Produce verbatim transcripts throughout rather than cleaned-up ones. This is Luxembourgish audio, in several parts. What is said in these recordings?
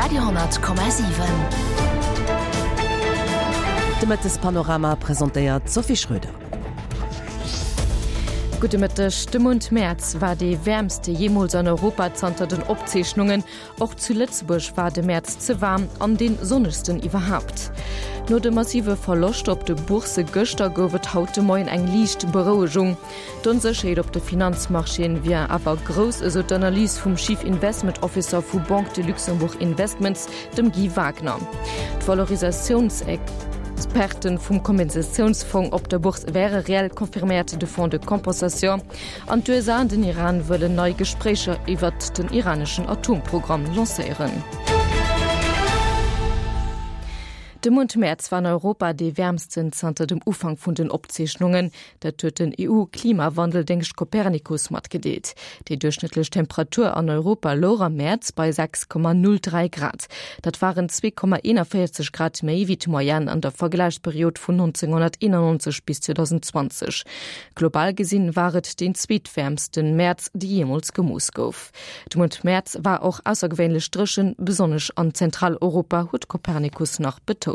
Radio honnert Komma siwen. De Mëttespanorama presentéiert d'Sophie Schröder. Gudde Mëtteg. De Mount Mäerz war dee wäermste jeemools an Europa zanter den Opzeechnungen. Och zu Lëtzebuerg war de Mäerz ze waarm an dee sonnegsten iwwerhaapt. No de massive Verloschter op de Boursse gëschter gouf et haut de Moien eng liicht Berouegung. D'Onsécherheet op de Finanzmarchéen wier awer grouss, esou d'Analys vum Chief Investment Officer vu Banque de Luxembourg Investments, dem Guy Wagner. D'Valorisatiounsperten vum Kompensatiounsfong op der Bourse wäre reell, confirméiert de Fonds de compensation. An d'USA an den Iran wëllen nei Gespréicher iwwert den iraneschen Atomprogramm lancéieren. De Mount Mäerz war an Europa dee wäermsten zanter dem Ufank vun den Opzeechnungen. Dat huet den EU-Klimawandeldéngscht Copernicus matgedeelt. Déi duerchschnëttlech Temperatur an Europa louch am Mäerz bei sechs Komma null dräi Grad. Dat waren zwee Komma eenanvéierzeg Grad méi wéi d'Moyenne an der Vergläichsperiod vun nonzénghonnerteenannonzeg bis zweedausendzwanzeg. Global gesinn war et deen zweetwäermsten Mäerz, dee jeemools gemooss gouf. De Mount Mäerz war och aussergewéinlech dréchen, besonnesch an Zentraleuropa, huet Copernicus nach betount.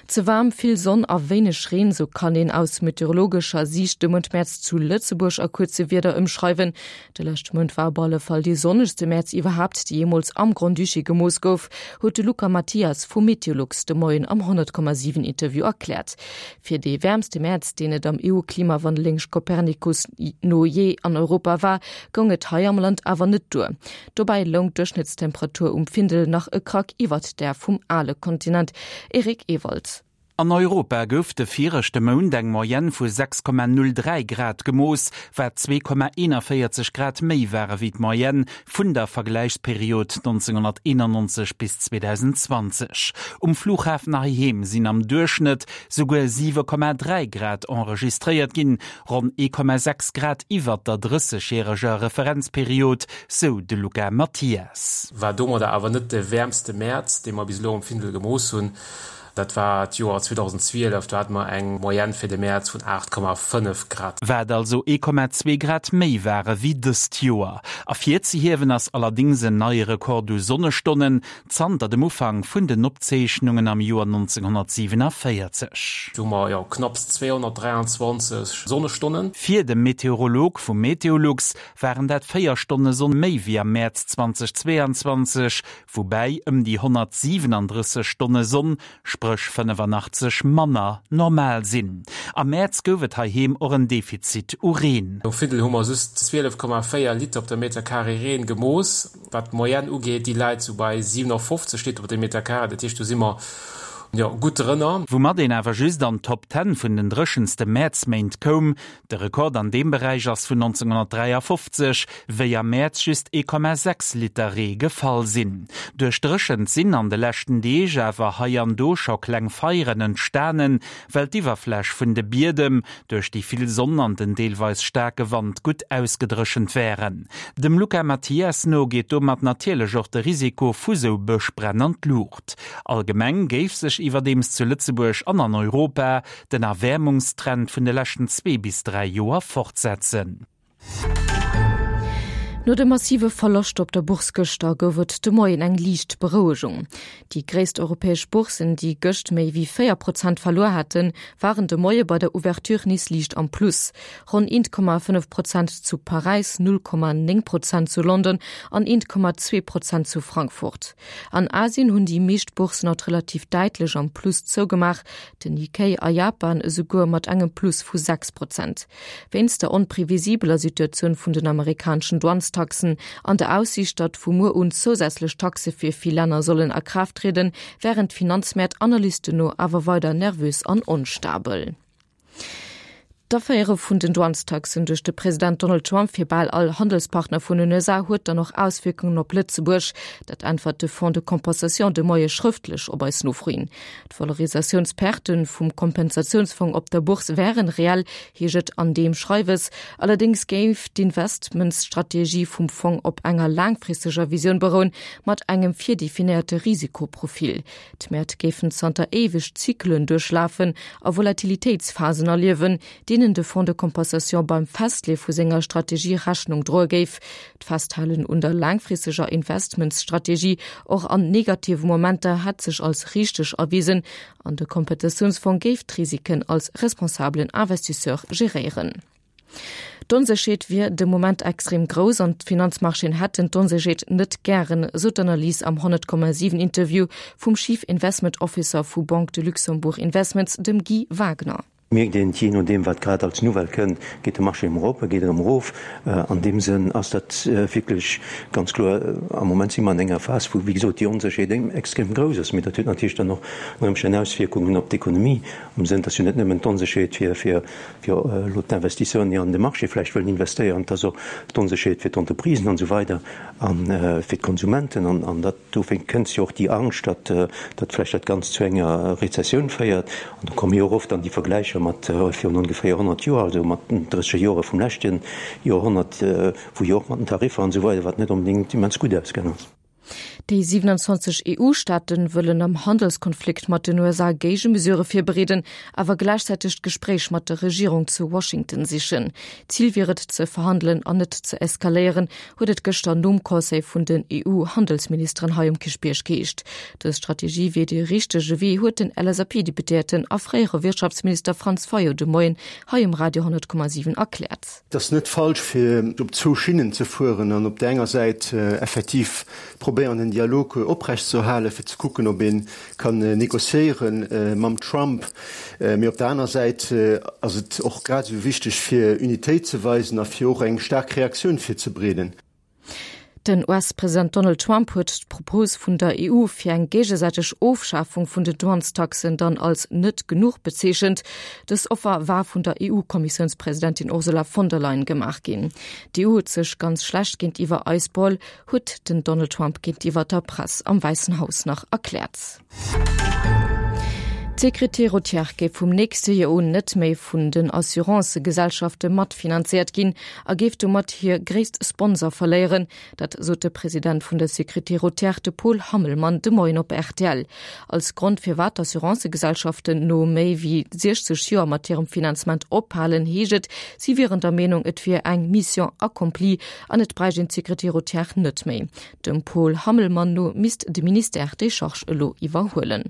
Ze waarm, vill Sonn a wéineg Reen, sou kann een aus meteorologescher Siicht de Mount Mäerz zu Lëtzebuerg a kuerze Wierder ëmschreiwen. De leschte Mount war op alle Fall dee sonnegste Mäerz iwwerhaapt, dee jeemools am Grand-Duché gemooss gouf, huet de Luca Mathias vu Meteolux de Moien am honnert Komma siwen Interview erkläert. Fir dee wäermste Mäerz, deen et am E U-Klimawandeldéngscht Copernicus no jee an Europa war, goung et hei am Land awer net duer. Dobäi loung d'Duerchschnëttstemperatur um Findel nach e Krack iwwert där vum ale Kontinent. Eric Ewald. An Europa gouf de viregte Mount eng Moyenne vu sechs Komma null dräi Grad gemooss, wat zwee Komma eenanvéierzeg Grad méi ware wéi d'Moyenne vun der Vergläichsperiod neunzehnhunderteinundneunzig bis zweitausendzwanzig. Um Flughafen heiheem sinn am Duerchschnëtt souguer siwe Komma dräi Grad enregistréiert ginn, ronn ee Komma sechs Grad iwwer der drëssegjäreger Referenzperiod, sou de Luca Mathias. War domadder awer net de wäermste Mäerz, dee mer bis elo um Findel gemooss hunn. Dat war d'Joer zweitausendzwielef, do hatten wir eng Moyenne fir de Mäerz vun acht Komma fënnef Grad. Wat also ee Komma zwee Grad méi ware wéi dëst Joer. Ervirzehiewen ass allerdings en neie Rekord u Sonnestonnen, zanter dem Ufank vun den Opzeechnungen am Joer neunzehnhundertsiebenundvierzig. Do hu mer ja knapps zweihundertdreiundzwanzig Sonnestonnen. Fir de Meteorolog vu Meteolux waren dat véier Stonne Sonn méi wéi am Mäerz zweitausendzweiundzwanzig, woubäi ëm déi honnertsiebenunddrësseg Stonne Sonn, spréch fënnefundachtzeg manner normal sinn. Am Mäerz gouf et heiheem och en Defizit u Reen. Um Findel hu mer just zwielef Komma véier Liter op der Meter Carré Reen gemooss. Wat d'Moyenne ugeet, déi läit so bei siebenundfünfzig Liter op der Meter Carré. Dat heescht, do si mer ja, gutt drënner. Woumat een awer just an Top Ten vun den dréchenste Mäerzméint koum. De Rekord an deem Beräich ass vun neunzehnhundertdreiundfünfzig, wéi am Mäerz just ee Komma sechs Liter Ree gefall sinn. Duerch Dréchent sinn an de leschten Deeg awer hei an do scho kleng Feieren entstanen, well d'Iwwerfläch vun de Biedem duerch déi vill Sonn an den deelweis staarke Wand gutt ausgedréchent wären. Dem Luca Mathias no geet domat natierlech och de Risiko vu sou Bëschbränn an d'Luucht. Allgemeng géif sech iwwerdeems zu Lëtzebuerg an an Europa den Erwärmungstrend vun de leschten zwee bis dräi Joer fortsetzen. No de massive Verloscht op der Bourse gëschter gouf et de Moien eng liicht Berouegung. Déi gréisst europäesch Boursen, déi gëscht méi wéi véier Prozent verluer haten, waren de Moie bei der Ouverture nees liicht am Plus. Ronn eent Komma fënnef Prozent zu Paräis, null Komma néng Prozent zu London an eent Komma zwee Prozent zu Frankfurt. An Asien hunn déi meescht Boursen haut relativ däitlech am Plus zougemaach, den Nikkei a Japan esouguer mat engem Plus vu sechs Prozent. Wéinst der onprevisibeler Situatioun vun den amerikaneschen Douanestaxen an der Aussiicht, datt vu muer un zousätzlech Taxe fir vill Länner sollen a Kraaft treden, während Finanzmäert-Analysten no awer weider nervös an onstabel. D'Afféiere vun den Douanestaxen duerch de President Donald Trump fir bal all Handelspartner vun den U S A huet dann och Auswirkungen op Lëtzebuerg. Dat äntwert de Fonds de Compensation de Moie schrëftlech op eis Nofro hin. D'Valorisatiounsperten vum Kompensatiounsfong op der Bourse wären reell, heescht et an deem Schreiwes. Allerdings géif d'Investmentsstrategie vum Fong op enger laangfristeger Visioun berouen, mat engem virdefinéierte Risikoprofil. D'Mäert géifen zanter éiweg Zyklen duerchlafen a Volatilitéitsphasen erliewen, deenen deenen de Fonds de compensation beim Festleeë vu senger Strategie Rechnung droe géif. D'Festhalen un der laangfristeger Investmentsstrategie och an negative Momenter hätt sech als richteg erwisen an de Kompensatiounsfong géif d'Risiken als responsabelen Investisseur geréieren. D'Onsécherheet wier de Moment extrem grouss an d'Finanzmarchéen hätten d'Onsécherheet net gären, sou d'Analys am honnert Komma siwen Interview vum Chief Investment Officer vu Banque de Luxembourg Investments, dem Guy Wagner. Mierkt een, jee nodeem wat grad als Nouvelle kënnt, geet de Marché emol erop, e geet erëm erof. An deem Sënn ass dat wierklech ganz kloer, am Moment si mer an enger Phas, wou, wéi gesot, déi Onsécherheet extrem grouss ass. Mee dat huet natierlech dann och ënner Ëmstänn Auswierkungen op d'Ekonomie, am Sënn, dass jo net nëmmen d'Onsécherheet fir, fir, fir elo d'Investisseuren, déi an de Marché vläicht wëllen investéieren, et ass och d'Onsécherheet fir d'Entreprisen an esou weider a fir d'Konsumenten. An dat, dofir kënnt jo och déi Angscht, datt, datt vläicht dat Ganzt zu enger Rezessioun féiert. An do komme jo och oft dann déi Vergläicher mat virun ongeféier honnert Joer, also mat den drësseger Jore vum leschte Joerhonnert, wou jo och mat den Tariffer an esou weider, wat net onbedéngt immens gutt ausgaang ass. Déi siewenundzwanzeg E U-Staate wëllen am Handelskonflikt mat den U S A Géigemesure virbereeden, awer gläichzäiteg d'Gespréich mat der Regierung zu Washington sichen. Zil wier et ze verhandelen an net ze eskaléieren, huet et gëschter nom Conseil vun den E U-Handelsministeren hei um Kierchbierg geheescht. Dës Strategie wier dee richtege Wee, huet den L S A P-Deputéierten a fréiere Wirtschaftsminister Franz Fayot de Moien hei um Radio honnert Komma siwen erkläert. Et ass net falsch, fir op zwou Schinnen ze fueren an op där enger Säit effektiv probéieren, den Dialog oprechtzeerhalen, fir ze kucken, ob ee kann negociéiere mam Trump. Mee op der aner Säit ass et och grad esou wichteg, fir Unitéit ze weisen a fir och eng staark Reaktioun virzebereeden. Den U S-President Donald Trump huet d'Propos vun der E U fir eng géigesäiteg Ofschafung vun den Douanestaxen dann als net genuch bezeechent. Dës Offer war vun der E U-Kommissiounspresidentin Ursula von der Leyen gemaach ginn. D'E U huet sech ganz schlecht géintiwwer eis beholl, huet den Donald Trump géintiwwer der Press am Wäissen Haus nach erkläert. D'Sécurité routière géif vum nächste Joer un net méi vun den Assurancëgesellschafte matfinanzéiert ginn a géif domat hir gréisst Sponsor verléieren. Dat sot de President vun der Sécurité routière, de Paul Hammelmann, de Moien op R T L. Als Grond firwat d'Assurancëgesellschaften no méi wéi siechzeg Joer mat hirem Finanzement ophalen, heescht et, si wieren der Meenung, et wier eng Mission accomplie an et bräicht een d'Sécurité routière net méi. Dem Paul Hammelmann no misst de Ministère déi Charge elo iwwerhuelen.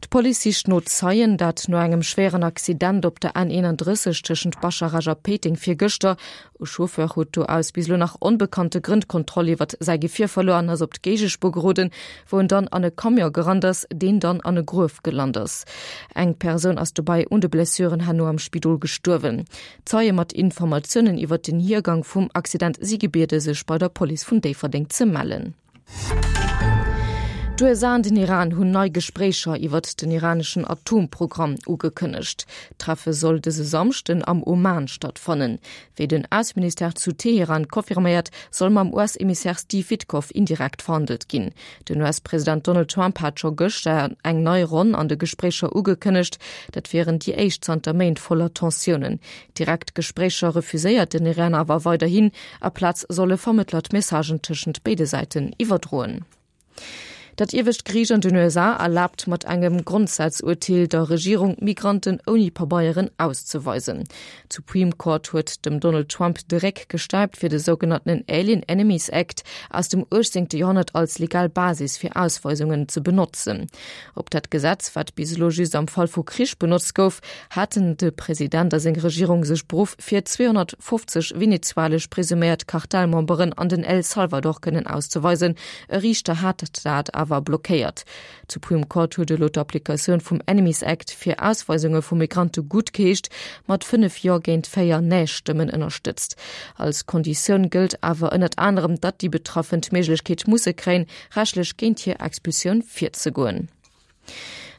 D'Police sicht no Zeien, dat no engem schwéieren Accident op der N eenandrësseg tëschent Bascharage a Péiteng virgëschter. E Chauffeur huet do aus bis elo nach onbekannte Grënn d'Kontroll iwwert säi Gefier verluer an ass op d'Géigespuer geroden, wou en dann an e Camion gerannt ass, deen dann an e Gruef gelant ass. Eng Persoun ass dobäi un de Blessuren herno am Spidol gestuerwen. Zeie mat Informatiounen iwwert den Hiergang vum Accident si gebiede sech bei der Police vun Déifferdeng ze mellen. D'U S A an den Iran hunn nei Gespréicher iwwert den iraneschen Atomprogramm ugekënnegt. D'Treffe soll dëse Samschden am Oman stattfannen. Wéi den Ausseministère zu Teheran confirméiert, soll mam U S-Emissär Steve Witkoff indirekt verhandelt ginn. Den U S-President Donald Trump hat scho gëschter eng nei Ronn an de Gespréicher ugekënnegt. Dat wieren déi éischt zanter Méint voller Tensiounen. Direkt Gespréicher refuséiert den Iran awer weiderhin, aplaz solle Vermëttler d'Messagen tëschent béide Säiten iwwerdroen. Dat iewescht Geriicht an den U S A erlaabt mat engem Grondsazurteel der Regierung, Migranten ouni Pabeieren auszeweisen. D'Supreme Court huet dem Donald Trump de Réck gestäipt fir de sougenanntenen Alien Enemies Act aus dem uechtzéngte Joerhonnert als legal Basis fir Ausweisungen ze benotzen. Op dat Gesetz, wat bis elo just am Fall vu Krich benotzt gouf, haten de President a seng Regierung sech beruff fir zweehonnertfofzeg venezuelesch presuméiert Kartellmemberen an den El Salvador kënnen auszeweisen. E Riichter hat dat awer blockéiert. D'Supreme Court huet elo d'Applikatioun vum Enemies Act fir Ausweisunge vu Migrante guttgeheescht, mat fënnef Jo géint véier Nee-Stëmmen ënnerstëtzt. Als Konditioun gëllt awer ënnert anerem, datt déi Betraffen d'Méiglechkeet musse kréien, rechtlech géint hir Expulsioun virzegoen.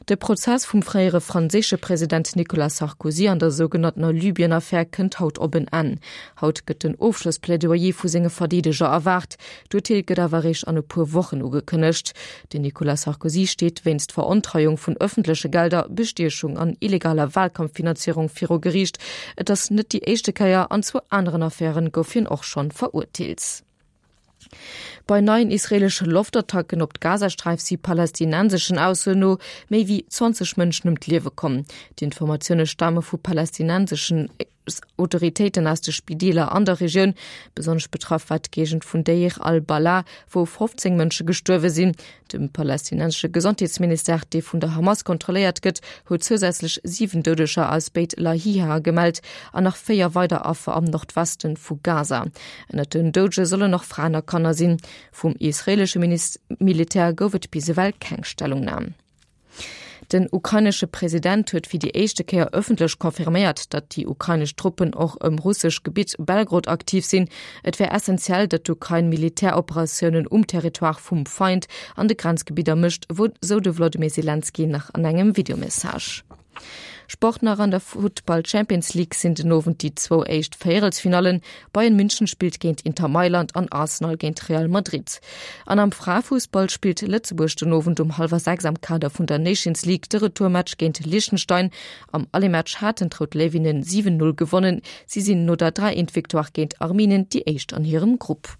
De Prozess vum fréiere franséische President Nicolas Sarkozy an der sougenanntener Libyen-Affär kënnt haut op en Enn. Haut gëtt den Ofschlossplädoyer vu senge Verdeedeger erwaart. D'Urteel gëtt awer eréischt an e puer Wochen ugekënnegt. Den Nicolas Sarkozy steet wéinst Verontreiung vun ëffentleche Gelder, Bestiechung an illegaler Walkampffinanzéierung viru Geriicht. Et ass net déi éischte Kéier, an zwou aneren Affäre gouf hien och schonn verurteelt. Bei neien israeelesche Loftattacken op d'Gazasträif si palästinenseschen Aussoen no méi wéi zwanzeg Mënschen ëm d'Liewe komm. D'Informatioune stame vu palästinenseschen Autoritéiten aus de Spideeler an der Regioun. Besonnesch betraff war d'Géigend vun Deir al-Balah, wou fofzéng Mënsche gestuerwe sinn. De palästinensesche Gesondheetsministère, dee vun der Hamas kontrolléiert gëtt, huet zousätzlech siwen Doudeger aus Beit Lahia gemellt an nach véier weider Affer am Nordweste vu Gaza. Ënnert den Doudege sollen och Fraen a Kanner sinn. Vum israeelesche Militär gouf et bis ewell keng Stellungnam. Den ukrainesche President huet fir déi éischte Kéier ëffentlech confirméiert, datt déi ukrainesch Truppen och ëm russesch Gebitt Belgorod aktiv sinn. Et wär essentiell, datt d'Ukrain Militäroperatiounen um Territoire vum Feind an de Grenzgebidder mécht, sou de Wlodimir Selenskyj nach an engem Videomessage. Sport nach An der Futtball Champions League sinn den Owend déi zwou éischt Véierelsfinallen. Bayern München spillt géint Inter Mailand an Arsenal géint Real Madrid. An am Fraefussball spillt Lëtzebuerg den Owend um hallwer sechs am Kader vun der Nations League de Retourmatch géint Liechtenstein. Am Allematch haten d'Rout Léiwinnen siwen Null gewonnen. Si sinn no der dräi eent Victoire géint Armenien déi éischt an hirem Grupp.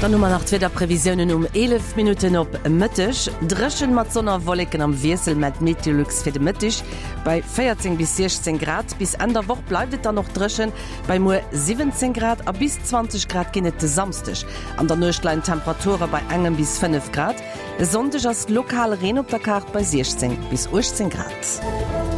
Dann hu mer nach d'Wiederprevisiounen um eelef Minutten op Mëtteg. Dréchen mat Sonn a Wolleken am Wiessel mellt Meteolux fir de Mëtteg bei véierzéng bis siechzéng Grad. Bis Enn der Woch bleift et dann och dréchen bei muer siwwenzéng Grad a bis zwanzeg Grad ginn et de Samsdeg. An der Nuecht leien d'Temperature bei engem bis fënnef Grad. E Sonndeg ass lokal Reen op der Kaart bei siechzéng bis uechtzéng Grad.